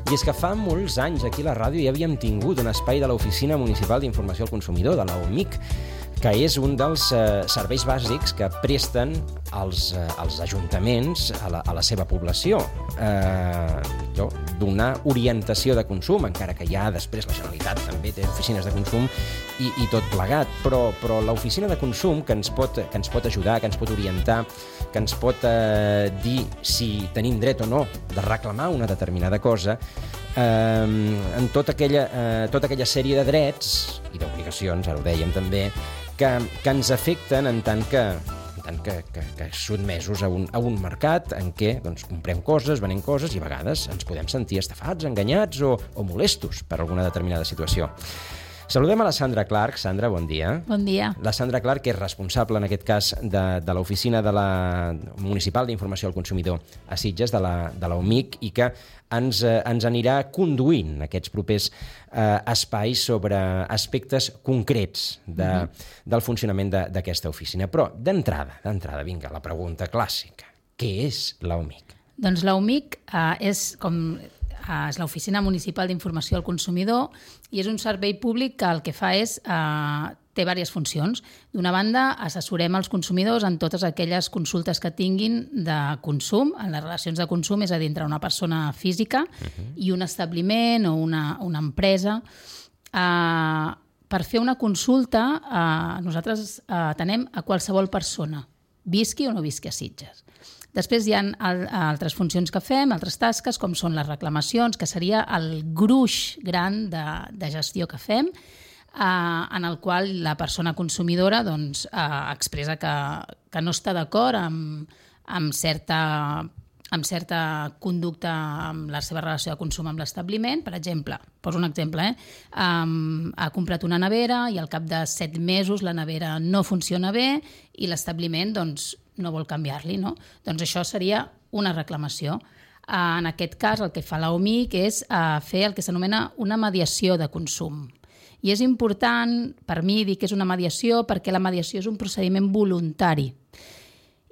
I és que fa molts anys aquí a la ràdio ja havíem tingut un espai de l'Oficina Municipal d'Informació al Consumidor, de l'OMIC, que és un dels serveis bàsics que presten els ajuntaments a la seva població. Donar orientació de consum, encara que ja després la Generalitat també té oficines de consum i tot plegat, però l'oficina de consum que ens pot ajudar, que ens pot orientar, que ens pot dir si tenim dret o no de reclamar una determinada cosa, en tota aquella sèrie de drets i d'obligacions, ara ho dèiem també, que ens afecten en tant que sotmesos a un mercat en què comprem coses, venem coses i a vegades ens podem sentir estafats, enganyats o molestos per alguna determinada situació. Saludem a la Sandra Clark. Sandra, bon dia. Bon dia. La Sandra Clark, que és responsable, en aquest cas, de l'Oficina de la Municipal d'Informació al Consumidor a Sitges, de l'OMIC, i que ens anirà conduint aquests propers espais sobre aspectes concrets del funcionament d'aquesta oficina. Però, d'entrada, vinga, la pregunta clàssica. Què és l'OMIC? Doncs l'OMIC és l'Oficina Municipal d'Informació al Consumidor i és un servei públic que el que fa és té diverses funcions. D'una banda, assessorem els consumidors en totes aquelles consultes que tinguin de consum, en les relacions de consum, és a dir, entre una persona física i un establiment o una empresa. Per fer una consulta, nosaltres atenem a qualsevol persona, visqui o no visqui a Sitges. Després hi ha altres funcions que fem, altres tasques, com són les reclamacions, que seria el gruix gran de gestió que fem, en el qual la persona consumidora expressa que no està d'acord amb certa conducta amb la seva relació de consum amb l'establiment. Per exemple, poso un exemple, ha comprat una nevera i al cap de 7 mesos la nevera no funciona bé i l'establiment no vol canviar-li, no? Doncs això seria una reclamació. En aquest cas, el que fa l'OMIC és fer el que s'anomena una mediació de consum. I és important, per mi, dir que és una mediació perquè la mediació és un procediment voluntari.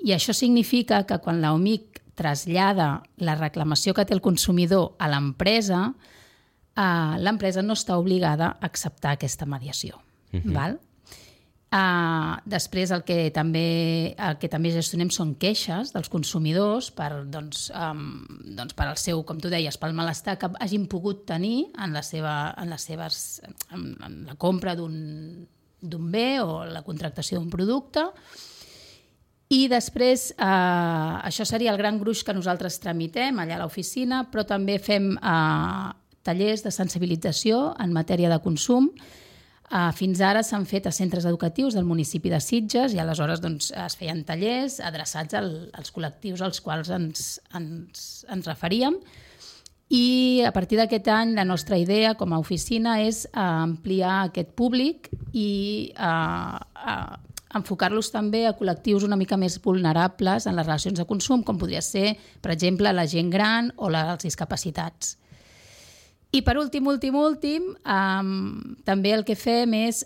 I això significa que quan l'OMIC trasllada la reclamació que té el consumidor a l'empresa, l'empresa no està obligada a acceptar aquesta mediació. Val? Després el que també gestionem són queixes dels consumidors per al seu, com tu deies, pel malestar que hagin pogut tenir en la compra d'un bé o la contractació d'un producte. I després, això seria el gran gruix que nosaltres tramitem allà a l'oficina, però també fem tallers de sensibilització en matèria de consum. Fins ara s'han fet a centres educatius del municipi de Sitges i aleshores es feien tallers adreçats als col·lectius als quals ens referíem. I a partir d'aquest any la nostra idea com a oficina és ampliar aquest públic i enfocar-los també a col·lectius una mica més vulnerables en les relacions de consum, com podria ser, per exemple, la gent gran o els discapacitats. I per últim, també el que fem és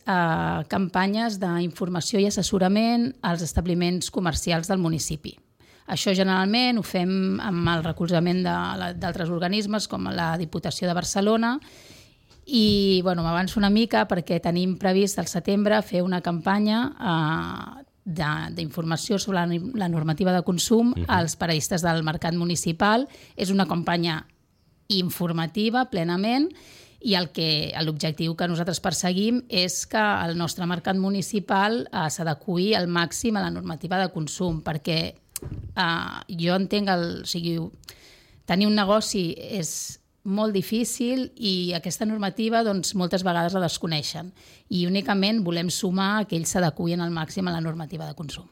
campanyes d'informació i assessorament als establiments comercials del municipi. Això generalment ho fem amb el recolzament d'altres organismes com la Diputació de Barcelona i m'avanço una mica perquè tenim previst al setembre fer una campanya d'informació sobre la normativa de consum als paradistes del mercat municipal. És una campanya informativa plenament i l'objectiu que nosaltres perseguim és que el nostre mercat municipal s'adeqüi al màxim a la normativa de consum perquè jo entenc tenir un negoci és molt difícil i aquesta normativa moltes vegades la desconeixen i únicament volem sumar que ells s'adeqüin al màxim a la normativa de consum.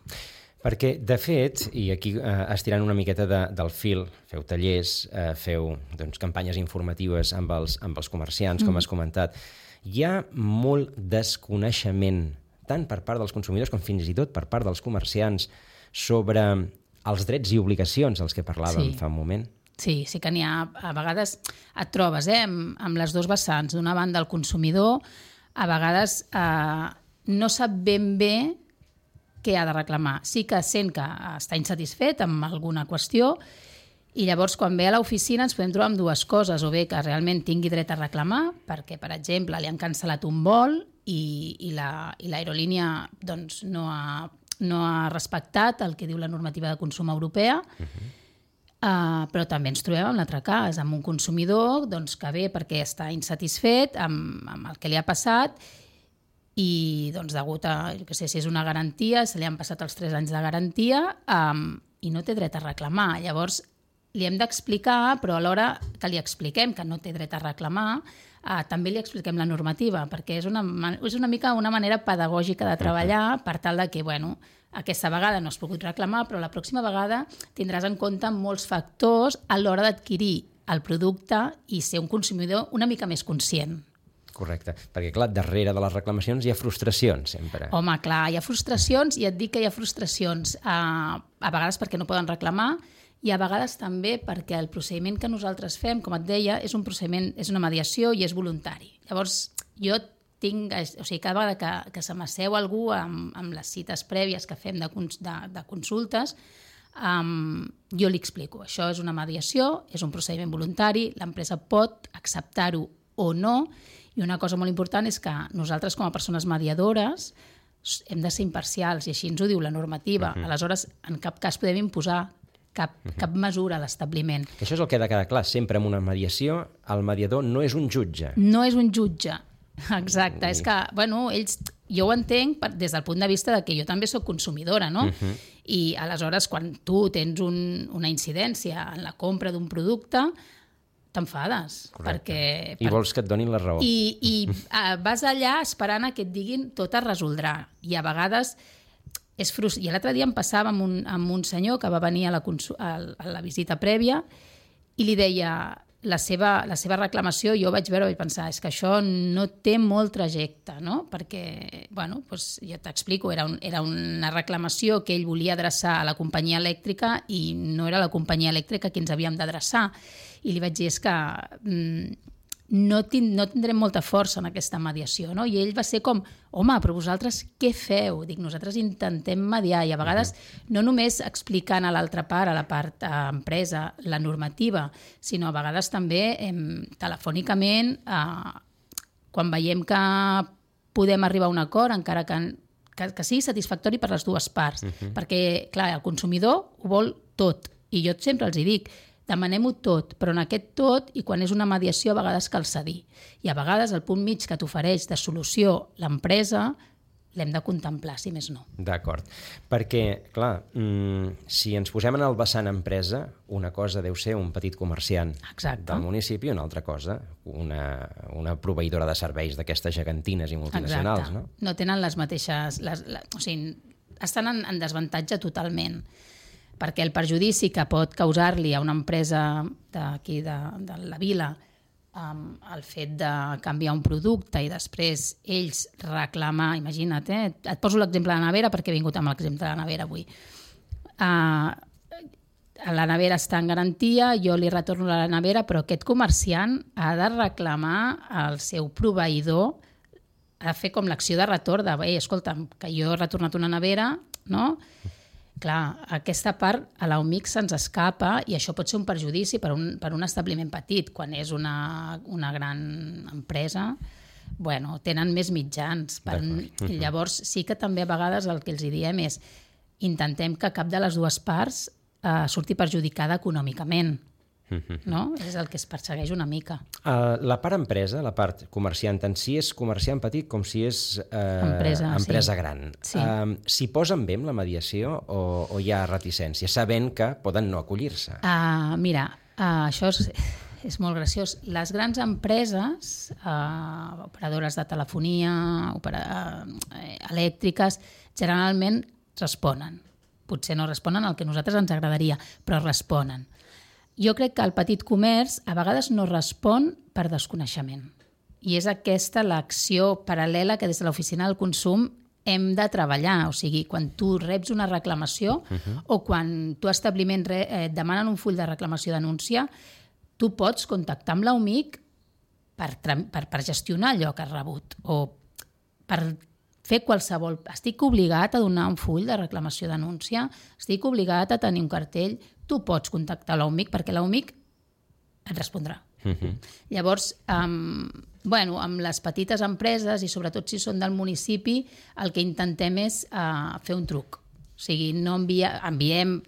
Perquè, de fet, i aquí estirant una miqueta del fil, feu tallers, feu campanyes informatives amb els comerciants, com has comentat, hi ha molt desconeixement, tant per part dels consumidors com fins i tot per part dels comerciants, sobre els drets i obligacions dels que parlàvem fa un moment. Sí que n'hi ha. A vegades et trobes amb les dues vessants. D'una banda, el consumidor a vegades no sap ben bé què ha de reclamar. Sí que sent que està insatisfet amb alguna qüestió I llavors, quan ve a l'oficina, ens podem trobar amb dues coses, o bé que realment tingui dret a reclamar, perquè, per exemple, li han cancel·lat un vol i l'aerolínia doncs, no ha respectat el que diu la normativa de consum europea, però també ens trobem en l'altre cas, amb un consumidor doncs, que ve perquè està insatisfet amb el que li ha passat i doncs, degut a, jo què sé, si és una garantia, se li han passat els 3 anys de garantia i no té dret a reclamar. Llavors, li hem d'explicar, però alhora que li expliquem que no té dret a reclamar, també li expliquem la normativa, perquè és una mica una manera pedagògica de treballar per tal de que, bueno, aquesta vegada no has pogut reclamar, però la pròxima vegada tindràs en compte molts factors a l'hora d'adquirir el producte i ser un consumidor una mica més conscient. Correcte, perquè clar, darrere de les reclamacions hi ha frustracions sempre. Home, clar, hi ha frustracions i et dic que hi ha frustracions a vegades perquè no poden reclamar i a vegades també perquè el procediment que nosaltres fem, com et deia, és un procediment, és una mediació i és voluntari. Llavors, jo tinc, o sigui, cada vegada que se m'asseu algú amb les cites prèvies que fem de consultes, jo li explico, això és una mediació, és un procediment voluntari, l'empresa pot acceptar-ho o no, i una cosa molt important és que nosaltres com a persones mediadores hem de ser imparcials i així ens ho diu la normativa. Aleshores, en cap cas podem imposar cap mesura a l'establiment. Això és el que ha de quedar clar. Sempre en una mediació el mediador no és un jutge. No és un jutge, exacte. És que, bueno, jo ho entenc des del punt de vista de que jo també sóc consumidora, no? I aleshores, quan tu tens una incidència en la compra d'un producte, t'enfades. I vols que et donin la raó. I vas allà esperant a que et diguin tot es resoldrà. I a vegades és frustrant. I l'altre dia em passava amb un senyor que va venir a la visita prèvia i li deia la seva reclamació, jo vaig veure i vaig pensar, és que això no té molt trajecte, no? Perquè, bueno, doncs jo t'explico, era una reclamació que ell volia adreçar a la companyia elèctrica i no era la companyia elèctrica a qui ens havíem d'adreçar. I li vaig dir, és que no tindrem molta força en aquesta mediació, no? I ell va ser com, home, però vosaltres què feu? Dic, nosaltres intentem mediar i a vegades no només explicant a l'altra part, a la part empresa, la normativa, sinó a vegades també telefònicament, quan veiem que podem arribar a un acord, encara que sigui satisfactori per les dues parts. Perquè, clar, el consumidor ho vol tot. I jo sempre els hi dic, demanem-ho tot, però en aquest tot, i quan és una mediació, a vegades cal cedir. I a vegades el punt mig que t'ofereix de solució l'empresa l'hem de contemplar, si més no. D'acord. Perquè, clar, si ens posem en el vessant empresa, una cosa deu ser un petit comerciant del municipi, una altra cosa, una proveïdora de serveis d'aquestes gegantines i multinacionals, no? No tenen les mateixes... O sigui, estan en desavantatge totalment, perquè el perjudici que pot causar-li a una empresa d'aquí, de la vila, el fet de canviar un producte i després ells reclamar, imagina't, et poso l'exemple de la nevera perquè he vingut amb l'exemple de la nevera avui. La nevera està en garantia, jo li retorno la nevera, però aquest comerciant ha de reclamar al seu proveïdor, ha de fer com l'acció de retorn de, escolta'm, que jo he retornat una nevera, no? Clar, aquesta part a l'OMIC se'ns escapa i això pot ser un perjudici per un establiment petit. Quan és una gran empresa, bueno, tenen més mitjans. Llavors sí que també a vegades el que els diem és intentem que cap de les dues parts surti perjudicada econòmicament. No? És el que es persegueix una mica. La part empresa, la part comerciant en si, és comerciant petit com si és empresa gran. Sí. S'hi posen bé amb la mediació o hi ha reticència, sabent que poden no acollir-se? Mira, això és molt graciós. Les grans empreses, operadores de telefonia, elèctriques, generalment responen. Potser no responen al que a nosaltres ens agradaria, però responen. Jo crec que el petit comerç a vegades no respon per desconeixement. I és aquesta l'acció paral·lela que des de l'oficina del consum hem de treballar. O sigui, quan tu reps una reclamació o quan tu establiment et demanen un full de reclamació denúncia, tu pots contactar amb l'OMIC per gestionar allò que has rebut o per fer qualsevol... Estic obligat a donar un full de reclamació denúncia, estic obligat a tenir un cartell, tu pots contactar l'OMIC perquè l'OMIC et respondrà. Llavors, amb les petites empreses i sobretot si són del municipi, el que intentem és fer un truc. O sigui, no enviem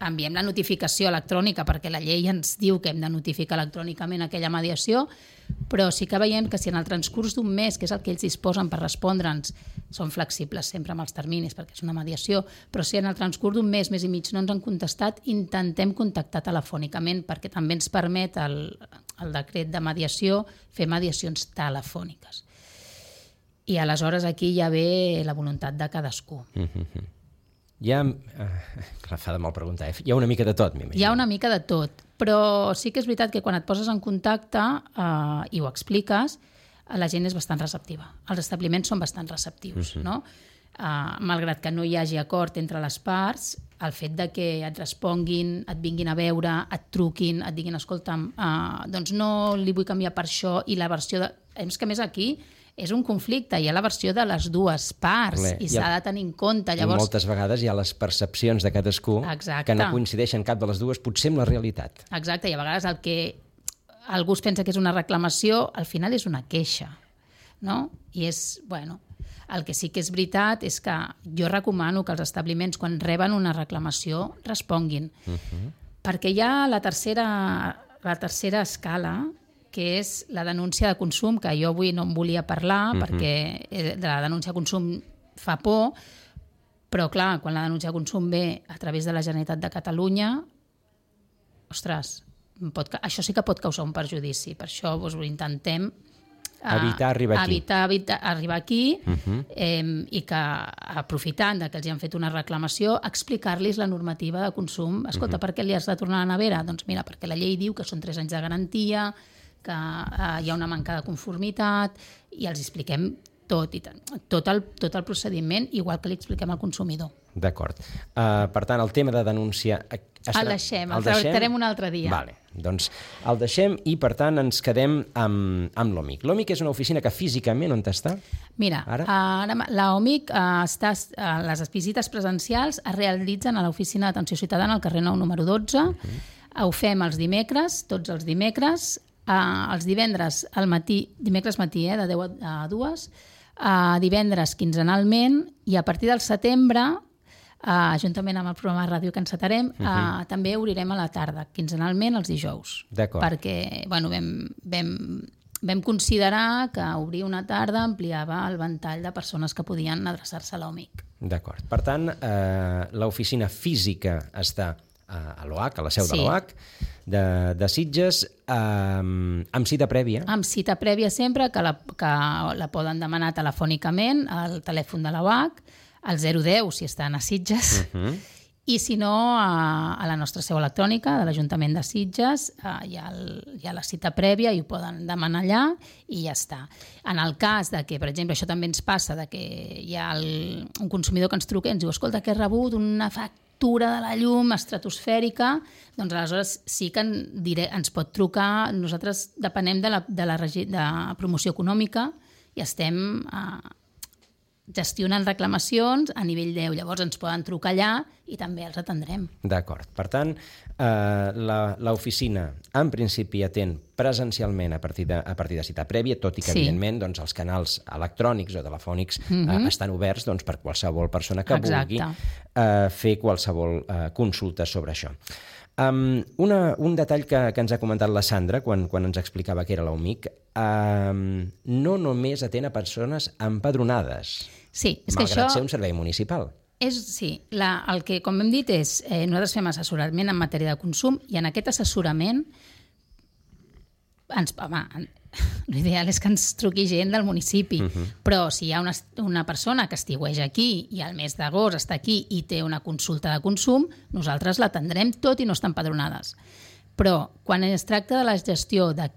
la notificació electrònica perquè la llei ens diu que hem de notificar electrònicament aquella mediació, però sí que veiem que si en el transcurs d'un mes, que és el que ells disposen per respondre'ns, són flexibles sempre amb els terminis perquè és una mediació, però si en el transcurs d'un mes i mig no ens han contestat, intentem contactar telefònicament perquè també ens permet el decret de mediació fer mediacions telefòniques. I aleshores aquí ja ve la voluntat de cadascú. Clar, fa de mal preguntar, hi ha una mica de tot, m'imagino. Hi ha una mica de tot, però sí que és veritat que quan et poses en contacte i ho expliques, la gent és bastant receptiva. Els establiments són bastant receptius, no? Malgrat que no hi hagi acord entre les parts, el fet de que et responguin, et vinguin a veure, et truquin, et diguin, escolta'm, doncs no li vull canviar per això, i la versió de... És que més aquí és un conflicte, hi ha la versió de les dues parts i s'ha de tenir en compte. Llavors... I moltes vegades hi ha les percepcions de cadascú que no coincideixen cap de les dues, potser amb la realitat. Exacte, i a vegades el que algú es pensa que és una reclamació, al final és una queixa, no? I és, bueno, el que sí que és veritat és que jo recomano que els establiments, quan reben una reclamació, responguin. Perquè hi ha la tercera escala, que és la denúncia de consum, que jo avui no en volia parlar, perquè de la denúncia de consum fa por, però clar, quan la denúncia de consum ve a través de la Generalitat de Catalunya, ostres, això sí que pot causar un perjudici. Per això intentem evitar arribar aquí. Arribar aquí i que, aprofitant que els han fet una reclamació, explicar-los la normativa de consum. Escolta, per què li has de tornar a la nevera? Doncs mira, perquè la llei diu que són 3 anys de garantia, que hi ha una manca de conformitat, i els expliquem tot el procediment, igual que li expliquem al consumidor. D'acord. Per tant, el tema de denúncia... El deixem, el tractarem un altre dia. Vale, doncs el deixem i, per tant, ens quedem amb l'OMIC. L'OMIC és una oficina que físicament on està? Mira, l'OMIC, les visites presencials es realitzen a l'oficina d'atenció ciutadana al carrer Nou número 12. Ho fem els dimecres, tots els dimecres, els divendres al matí, dimecres matí, de 10 a 2, divendres quinzenalment, i a partir del setembre, juntament amb el programa de ràdio que encetarem, també obrirem a la tarda, quinzenalment els dijous. D'acord. Perquè vam considerar que obrir una tarda ampliava el ventall de persones que podien adreçar-se a l'OMIC. D'acord. Per tant, l'oficina física està a l'OH, a la seu de l'OH, de Sitges, amb cita prèvia. Amb cita prèvia sempre, que la poden demanar telefònicament al telèfon de l'OH, al 010 si estan a Sitges, i si no, a la nostra seu electrònica de l'Ajuntament de Sitges hi ha la cita prèvia i ho poden demanar allà i ja està. En el cas de que, per exemple, això també ens passa, de que hi ha un consumidor que ens truca i ens diu, escolta, que he rebut una factura de la llum estratosfèrica, doncs aleshores sí que ens pot trucar. Nosaltres depenem de la promoció econòmica i estem gestionant reclamacions a nivell 10. Llavors ens poden trucar allà i també els atendrem. D'acord. Per tant, l'oficina en principi atén presencialment a partir de cita prèvia, tot i que evidentment doncs, els canals electrònics o telefònics estan oberts doncs, per qualsevol persona que vulgui fer qualsevol consulta sobre això. Un detall que ens ha comentat la Sandra quan ens explicava què era l'OMIC, no només atén a persones empadronades, malgrat ser un servei municipal. Sí, el que, com hem dit, és nosaltres fem assessorament en matèria de consum i en aquest assessorament l'ideal és que ens truqui gent del municipi, però si hi ha una persona que estiueja aquí i al mes d'agost està aquí i té una consulta de consum, nosaltres l'atendrem tot i no estan empadronades. Però quan es tracta de la gestió de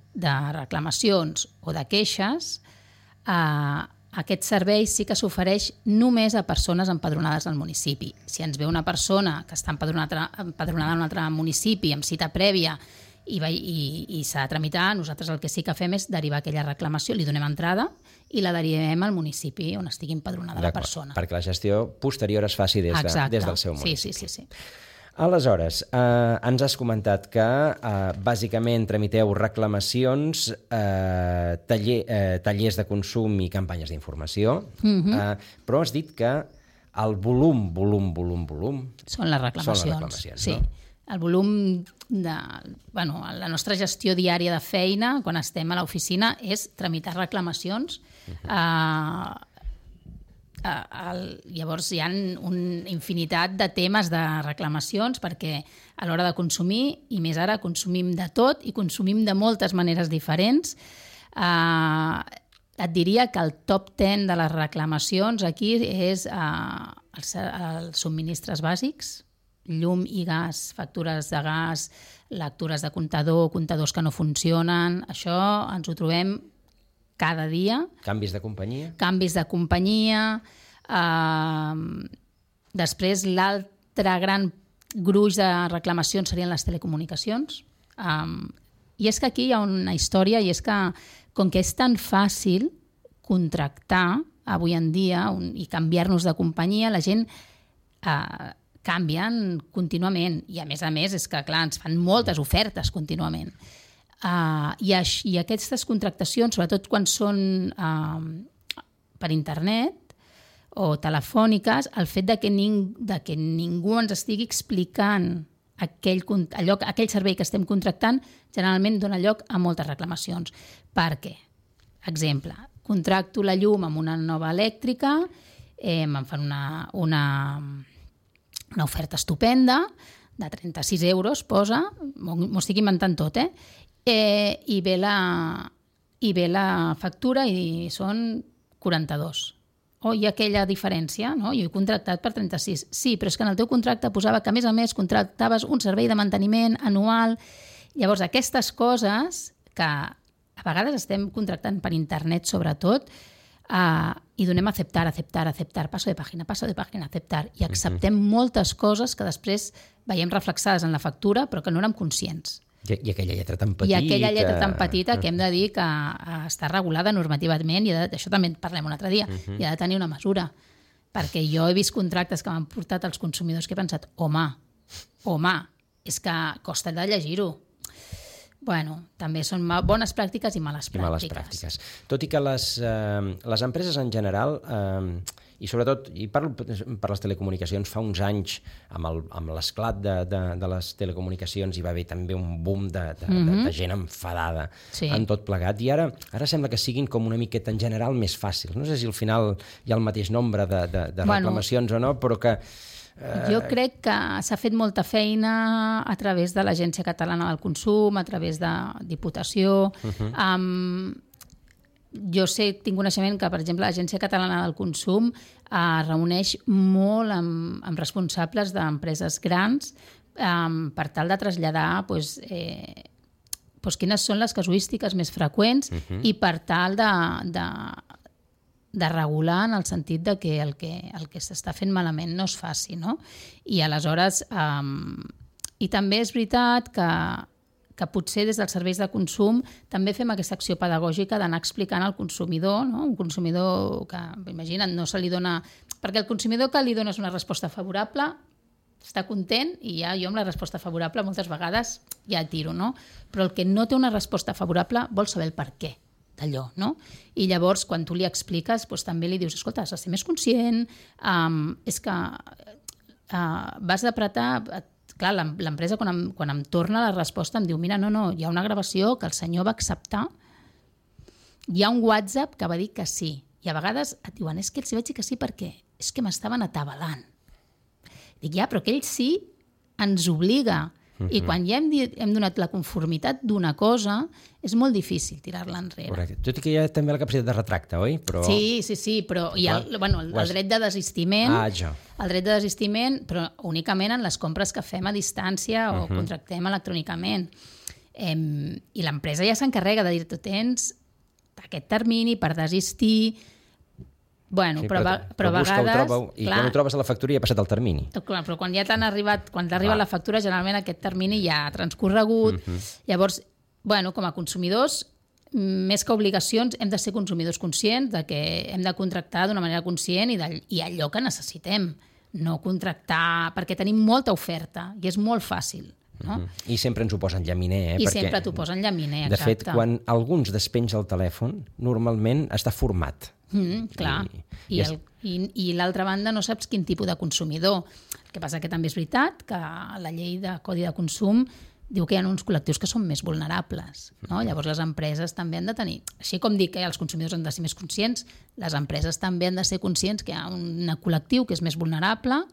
reclamacions o de queixes, aquest servei sí que s'ofereix només a persones empadronades al municipi. Si ens ve una persona que està empadronada en un altre municipi amb cita prèvia i s'ha de tramitar. Nosaltres el que sí que fem és derivar aquella reclamació, li donem entrada i la derivem al municipi on estigui empadronada la persona. Perquè la gestió posterior es faci des del seu municipi. Sí. Aleshores, ens has comentat que bàsicament tramiteu reclamacions, tallers de consum i campanyes d'informació, però has dit que el volum... Són les reclamacions, sí. No? El volum la nostra gestió diària de feina, quan estem a l'oficina, és tramitar reclamacions. Llavors hi ha una infinitat de temes de reclamacions perquè a l'hora de consumir, i més ara, consumim de tot i consumim de moltes maneres diferents. Et diria que el top 10 de les reclamacions aquí és els subministres bàsics, llum i gas, factures de gas, lectures de comptador, comptadors que no funcionen. Això ens ho trobem cada dia. Canvis de companyia. Després, l'altre gran gruix de reclamacions serien les telecomunicacions. I és que aquí hi ha una història, i és que, com que és tan fàcil contractar avui en dia i canviar-nos de companyia, la gent canvien contínuament. I, a més, és que, clar, ens fan moltes ofertes contínuament. I aquestes contractacions, sobretot quan són per internet o telefòniques, el fet de que ningú ens estigui explicant aquell servei que estem contractant generalment dona lloc a moltes reclamacions. Per què? Exemple, contracto la llum amb una nova elèctrica, em fan una oferta estupenda de 36 euros, posa, m'ho estic inventant tot, i ve la factura i són 42. Hi ha aquella diferència, no? Jo he contractat per 36. Sí, però és que en el teu contracte posava que, a més, contractaves un servei de manteniment anual. Llavors, aquestes coses que a vegades estem contractant per internet, sobretot, i donem aceptar, passo de pàgina, aceptar, i acceptem moltes coses que després veiem reflexades en la factura, però que no érem conscients. I aquella lletra tan petita. Que hem de dir que està regulada normativament, i d'això també en parlem un altre dia, i ha de tenir una mesura. Perquè jo he vist contractes que m'han portat als consumidors que he pensat, home, és que costa de llegir-ho. Bueno, també són bones pràctiques i males pràctiques. Tot i que les empreses en general, i sobretot, i parlo per les telecomunicacions, fa uns anys, amb l'esclat de les telecomunicacions, hi va haver també un boom de gent enfadada en tot plegat, i ara sembla que siguin com una miqueta en general més fàcils. No sé si al final hi ha el mateix nombre de reclamacions o no, però que... Jo crec que s'ha fet molta feina a través de l'Agència Catalana del Consum, a través de Diputació. Jo tinc coneixement que, per exemple, l'Agència Catalana del Consum es reuneix molt amb responsables d'empreses grans per tal de traslladar quines són les casuístiques més freqüents i per tal de regular en el sentit de que el que s'està fent malament no es faci, no? I aleshores, i també és veritat que potser des dels serveis de consum també fem aquesta acció pedagògica d'anar explicant al consumidor, no? Un consumidor que, imagina't, no se li dona... Perquè el consumidor que li dones una resposta favorable està content, i ja jo amb la resposta favorable moltes vegades ja tiro, no? Però el que no té una resposta favorable vol saber el per què d'allò, no? I llavors, quan tu li expliques, també li dius, escolta, has de ser més conscient, és que vas apretar... Clar, l'empresa, quan em torna la resposta, em diu, mira, no, hi ha una gravació que el senyor va acceptar, hi ha un WhatsApp que va dir que sí, i a vegades et diuen, és que els vaig dir que sí perquè és que m'estaven atabalant. Dic, ja, però aquell sí ens obliga. I quan ja hem donat la conformitat d'una cosa, és molt difícil tirar-la enrere. Correcte. Tot i que hi ha també la capacitat de retracte, oi? Sí, però hi ha el dret de desistiment, el dret de desistiment, però únicament en les compres que fem a distància o contractem electrònicament. I l'empresa ja s'encarrega de dir, tu tens aquest termini per desistir, Bueno, Sí, però a busca, vegades... i quan ho trobes a la factura ja ha passat el termini. Clar, però quan ja t'han arribat, quan t'arriba la factura, generalment aquest termini ja ha transcorregut. Llavors, bueno, com a consumidors, més que obligacions, hem de ser consumidors conscients de que hem de contractar d'una manera conscient i allò que necessitem. No contractar, perquè tenim molta oferta i és molt fàcil. No? I sempre ens ho posen llaminer. I sempre t'ho posen llaminer, exacte. De fet, quan algú ens despenja el telèfon, normalment està format. Clar. I l'altra banda no saps quin tipus de consumidor. El que passa que també és veritat que la llei de Codi de Consum diu que hi ha uns col·lectius que són més vulnerables. No? Llavors les empreses també han de tenir... Així com dic que els consumidors han de ser més conscients, les empreses també han de ser conscients que hi ha un col·lectiu que és més vulnerable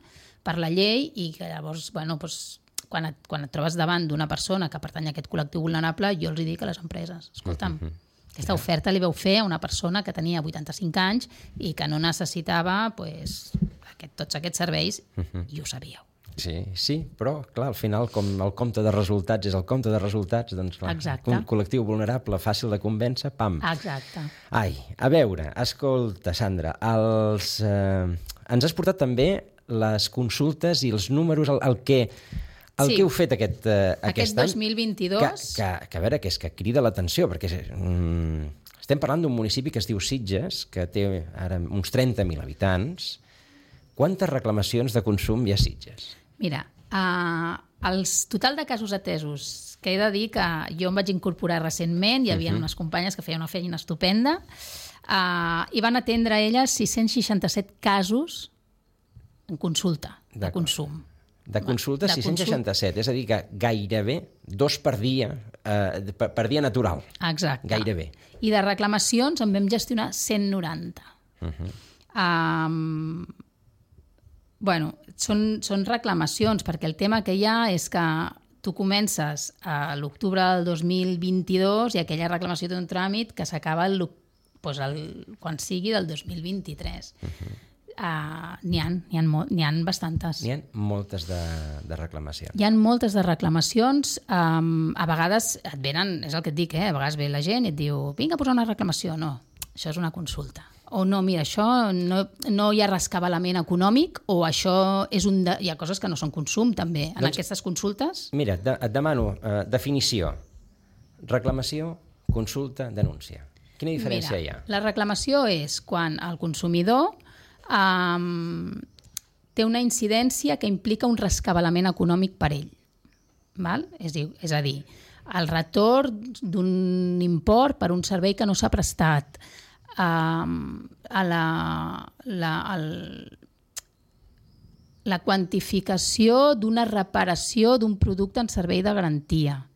per la llei i que llavors, bueno, doncs, quan et trobes davant d'una persona que pertany a aquest col·lectiu vulnerable, jo els dic a les empreses, escolta'm, aquesta oferta li vau fer a una persona que tenia 85 anys i que no necessitava tots aquests serveis i ho sabíeu. Sí, però clar, al final, com el compte de resultats és el compte de resultats, doncs clar, un col·lectiu vulnerable, fàcil de convèncer, pam. Exacte. Ai, a veure, escolta, Sandra, ens has portat també les consultes i els números, el que heu fet aquest any... 2022... Que a veure, que és que crida l'atenció, perquè estem parlant d'un municipi que es diu Sitges, que té ara uns 30.000 habitants. Quantes reclamacions de consum hi ha a Sitges? Mira, el total de casos atesos, que he de dir que jo em vaig incorporar recentment, hi havia unes companyes que feien una feina estupenda, i van atendre elles 667 casos en consulta de consum. De consulta 667, és a dir, que gairebé 2 per dia natural. Exacte. Gairebé. I de reclamacions en vam gestionar 190. Bueno, són reclamacions, perquè el tema que hi ha és que tu comences a l'octubre del 2022 i aquella reclamació té un tràmit que s'acaba quan sigui del 2023. N'hi ha bastantes. N'hi ha moltes de reclamacions. Hi ha moltes de reclamacions. A vegades et venen, és el que et dic, a vegades ve la gent i et diu vinga a posar una reclamació. No, això és una consulta. O no, mira, això no hi ha rescabalament econòmic o això és hi ha coses que no són consum també en aquestes consultes. Mira, et demano definició. Reclamació, consulta, denúncia. Quina diferència hi ha? La reclamació és quan el consumidor té una incidència que implica un rescabalament econòmic per ell. Val? És a dir, el retorn d'un import per un servei que no s'ha prestat, la quantificació d'una reparació d'un producte en servei de garantia,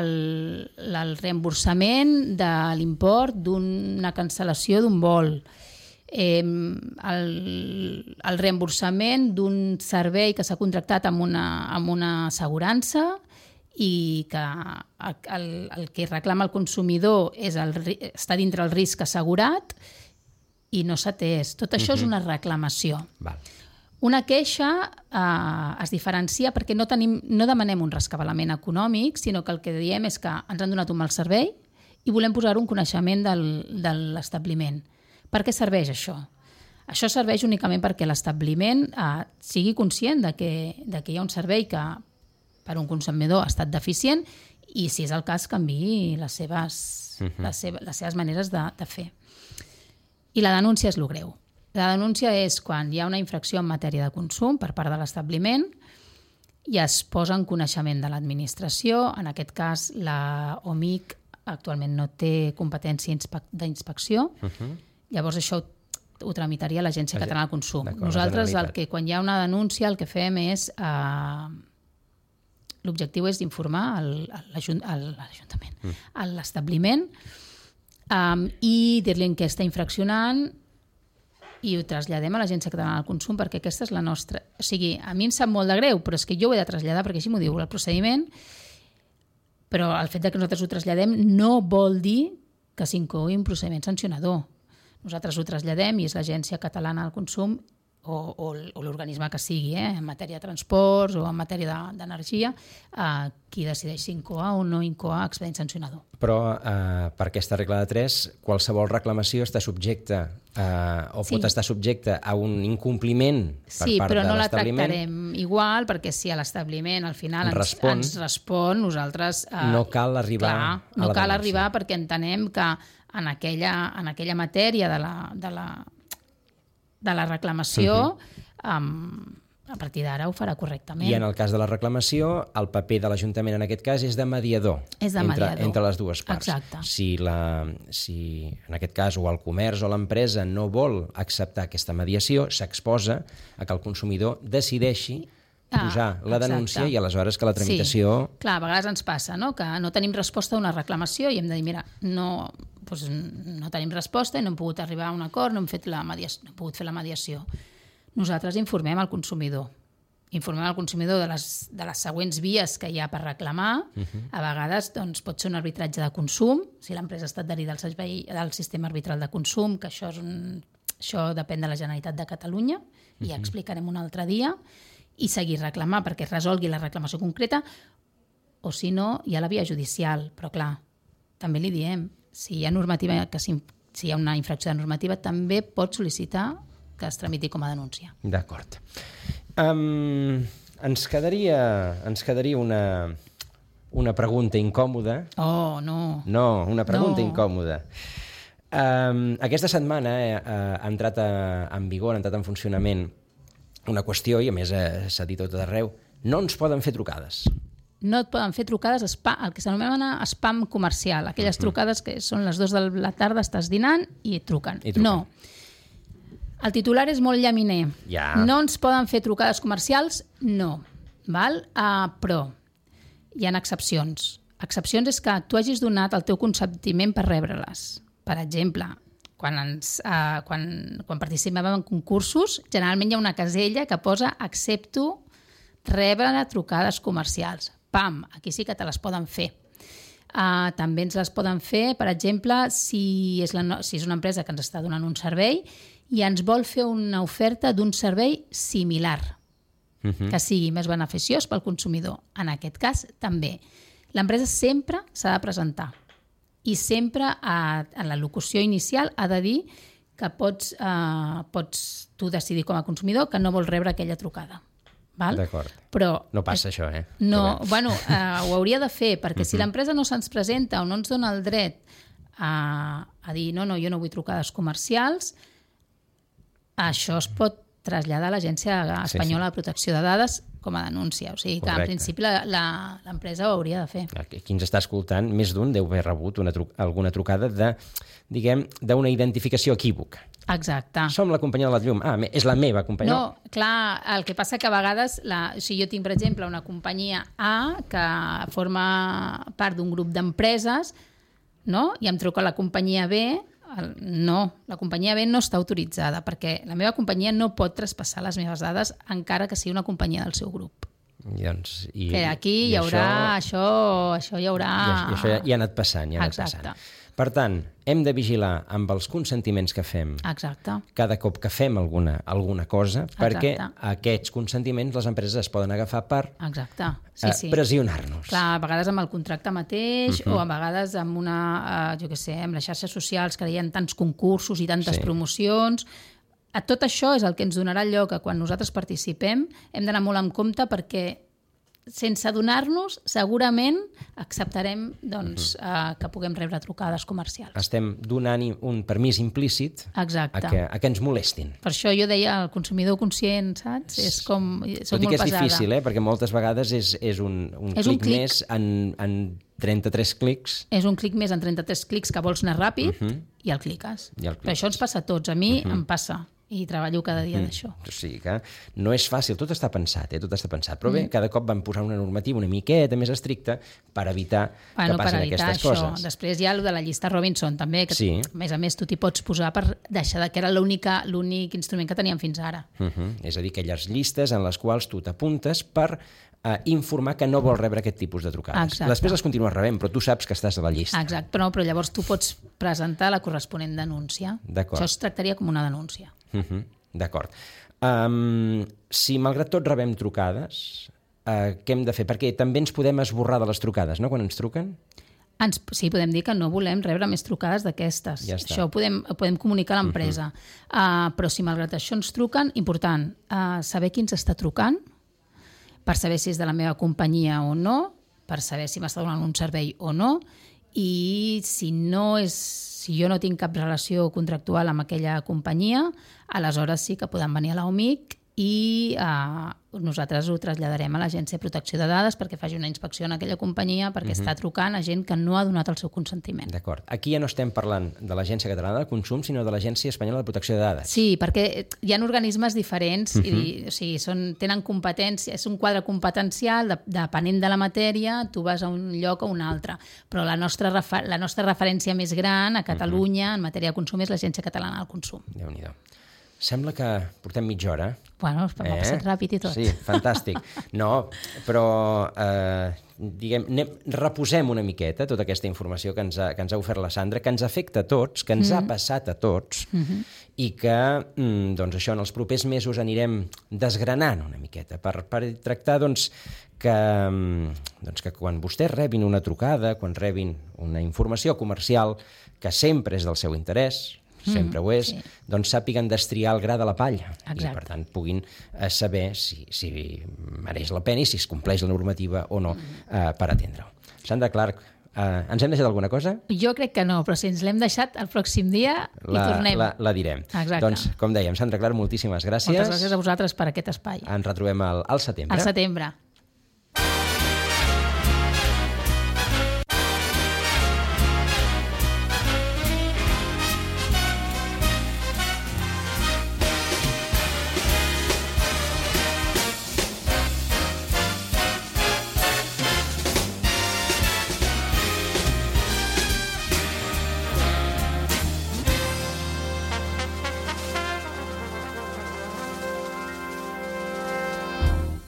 el reemborsament de l'import d'una cancel·lació d'un vol, el reemborsament d'un servei que s'ha contractat amb una assegurança i que el que reclama el consumidor està dintre el risc assegurat i no s'ha atès. Tot això és una reclamació. Val. Una queixa es diferencia perquè no demanem un rescabalament econòmic, sinó que el que diem és que ens han donat un mal servei i volem posar un coneixement de l'establiment. Per què serveix això? Això serveix únicament perquè l'establiment sigui conscient de que hi ha un servei que per un consumidor ha estat deficient i, si és el cas, canviï les seves maneres de fer. I la denúncia és el greu. La denúncia és quan hi ha una infracció en matèria de consum per part de l'establiment i es posa en coneixement de l'administració. En aquest cas, la OMIC actualment no té competència d'inspecció. Llavors, això ho tramitaria l'Agència Catalana del Consum. Nosaltres, quan hi ha una denúncia, el que fem és... L'objectiu és d'informar l'Ajuntament, a l'establiment, i dir-li en què està infraccionant i ho traslladem a l'Agència Catalana del Consum perquè aquesta és la nostra... O sigui, a mi em sap molt de greu, però és que jo ho he de traslladar perquè així m'ho diu el procediment, però el fet que nosaltres ho traslladem no vol dir que s'inclogui un procediment sancionador. Nosaltres ho traslladem i és l'Agència Catalana del Consum o l'organisme que sigui, en matèria de transports o en matèria d'energia, qui decideix si incoar o no incoar expedient sancionador. Però per aquesta regla de 3, qualsevol reclamació està subjecta pot estar subjecta a un incompliment per part de l'establiment. Sí, però no la tractarem igual, perquè si a l'establiment al final ens respon, nosaltres... no cal arribar a la denúncia. No cal arribar perquè entenem que en aquella matèria de la reclamació, a partir d'ara ho farà correctament. I en el cas de la reclamació, el paper de l'Ajuntament en aquest cas és de mediador, entre les dues parts. Exacte. Si en aquest cas o el comerç o l'empresa no vol acceptar aquesta mediació, s'exposa a que el consumidor decideixi posar la denúncia i aleshores que la tramitació... Sí, clar, a vegades ens passa, no?, que no tenim resposta a una reclamació i hem de dir, mira, no tenim resposta i no hem pogut arribar a un acord, no hem pogut fer la mediació. Nosaltres informem el consumidor. Informem el consumidor de les següents vies que hi ha per reclamar. A vegades pot ser un arbitratge de consum, si l'empresa ha estat adherida al sistema arbitral de consum, que això depèn de la Generalitat de Catalunya, i ja explicarem un altre dia, i seguir reclamar perquè es resolgui la reclamació concreta, o si no, hi ha la via judicial. Però clar, també li diem, si hi ha una infracció de normativa, també pot sol·licitar que es tramiti com a denúncia. D'acord. Ens quedaria una pregunta incòmoda. Oh, no. No, una pregunta incòmoda. Aquesta setmana ha entrat en vigor, ha entrat en funcionament una qüestió, i a més s'ha dit tot arreu, no ens poden fer trucades. No et poden fer trucades, el que s'anomena spam comercial, aquelles trucades que són les 2 de la tarda, estàs dinant i et truquen. No. El titular és molt llaminer. Ja. No ens poden fer trucades comercials? No. Val? Però hi ha excepcions. Excepcions és que tu hagis donat el teu consentiment per rebre-les. Per exemple, quan participem en concursos, generalment hi ha una casella que posa accepto rebre trucades comercials. Pam, aquí sí que te les poden fer. També ens les poden fer, per exemple, si és una empresa que ens està donant un servei i ens vol fer una oferta d'un servei similar, que sigui més beneficiós pel consumidor. En aquest cas, també. L'empresa sempre s'ha de presentar i sempre en la locució inicial ha de dir que pots tu decidir com a consumidor que no vols rebre aquella trucada. Val? D'acord. Però no passa això, eh? No, ho hauria de fer, perquè si l'empresa no se'ns presenta o no ens dona el dret a dir no, jo no vull trucades comercials, això es pot traslladar a l'Agència Espanyola de Protecció de Dades com a denúncia. O sigui que, en principi, l'empresa ho hauria de fer. Qui ens està escoltant, més d'un deu haver rebut alguna trucada d'una identificació equívoca. Exacte. Som la companyia de la llum. És la meva companyia. No, clar, el que passa que a vegades, si jo tinc, per exemple, una companyia A que forma part d'un grup d'empreses, no? I em truca la companyia B, la companyia B no està autoritzada perquè la meva companyia no pot traspassar les meves dades encara que sigui una companyia del seu grup. Que aquí hi haurà això hi haurà... I això ja ha anat passant, Exacte. Per tant, hem de vigilar amb els consentiments que fem. Exacte. Cada cop que fem alguna cosa, perquè aquests consentiments les empreses es poden agafar per pressionar-nos. Clar, a vegades amb el contracte mateix o a vegades amb amb les xarxes socials que hi ha tants concursos i tantes promocions. Tot això és el que ens donarà lloc que quan nosaltres participem hem d'anar molt en compte perquè sense adonar-nos, segurament acceptarem que puguem rebre trucades comercials. Estem donant un permís implícit a que ens molestin. Per això jo deia el consumidor conscient, saps? És com... Tot i que és difícil, perquè moltes vegades és un clic més en 33 clics. És un clic més en 33 clics que vols anar ràpid i el cliques. Però això ens passa a tots. A mi em passa. I treballo cada dia d'això. O sigui que no és fàcil, tot està pensat, Però bé, cada cop van posar una normativa una miqueta més estricta per evitar que passin aquestes coses. Després hi ha el de la llista Robinson, també, que a més tu t'hi pots posar per deixar que era l'únic instrument que teníem fins ara. És a dir, aquelles llistes en les quals tu t'apuntes per informar que no vols rebre aquest tipus de trucades. Exacte. Després les continues rebent, però tu saps que estàs a la llista. Exacte, però llavors tu pots presentar la corresponent denúncia. D'acord. Això es tractaria com una denúncia. D'acord. Si malgrat tot rebem trucades, què hem de fer? Perquè també ens podem esborrar de les trucades, no?, quan ens truquen. Sí, podem dir que no volem rebre més trucades d'aquestes. Ja està. Això ho podem comunicar a l'empresa. Però si malgrat això ens truquen, important, saber qui ens està trucant, per saber si és de la meva companyia o no, per saber si m'està donant un servei o no, i si jo no tinc cap relació contractual amb aquella companyia, aleshores sí que poden venir a l'OMIC i nosaltres ho traslladarem a l'Agència de Protecció de Dades perquè faci una inspecció en aquella companyia perquè està trucant a gent que no ha donat el seu consentiment. D'acord. Aquí ja no estem parlant de l'Agència Catalana de Consum, sinó de l'Agència Espanyola de Protecció de Dades. Sí, perquè hi ha organismes diferents, o sigui, tenen competència, és un quadre competencial, depenent de la matèria, tu vas a un lloc o un altre. Però la nostra referència més gran a Catalunya en matèria de consum és l'Agència Catalana del Consum. Déu-n'hi-do. Sembla que portem mitja hora. Bueno, m'ha passat ràpid i tot. Sí, fantàstic. No, però reposem una miqueta tota aquesta informació que ens ha ofert la Sandra, que ens afecta a tots, que ens ha passat a tots, i que, doncs això, en els propers mesos anirem desgranant una miqueta per tractar, que quan vostès rebin una trucada, quan rebin una informació comercial que sempre és del seu interès, sempre ho és, doncs sàpiguen destriar el gra de la palla. Exacte. I per tant puguin saber si mereix la pena i si es compleix la normativa o no per atendre-ho. Sandra Clark, ens hem deixat alguna cosa? Jo crec que no, però si ens l'hem deixat el pròxim dia hi tornem. La direm. Exacte. Doncs, com dèiem, Sandra Clark, moltíssimes gràcies. Moltes gràcies a vosaltres per aquest espai. Ens retrobem al setembre. Al setembre.